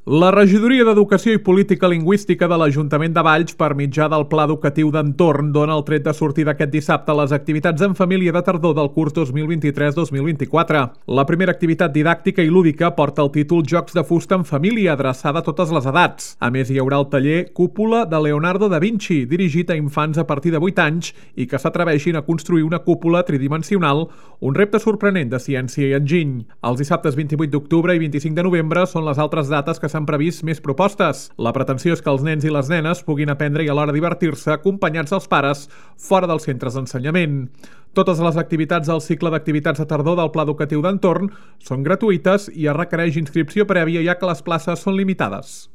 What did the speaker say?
La Regidoria d'Educació i Política Lingüística de l'Ajuntament de Valls, per mitjà del Pla Educatiu d'Entorn, dona el tret de sortida aquest dissabte a les activitats en família de tardor del curs 2023-2024. La primera activitat didàctica i lúdica porta el títol Jocs de fusta en família, adreçada a totes les edats. A més, hi haurà el taller Cúpula de Leonardo da Vinci, dirigit a infants a partir de 8 anys i que s'atreveixin a construir una cúpula tridimensional, un repte sorprenent de ciència i enginy. Els dissabtes 28 d'octubre i 25 de novembre són les altres dates que s'han previst més propostes. La pretensió és que els nens i les nenes puguin aprendre i alhora divertir-se acompanyats dels pares fora dels centres d'ensenyament. Totes les activitats del cicle d'activitats de tardor del Pla Educatiu d'Entorn són gratuïtes i es requereix inscripció prèvia ja que les places són limitades.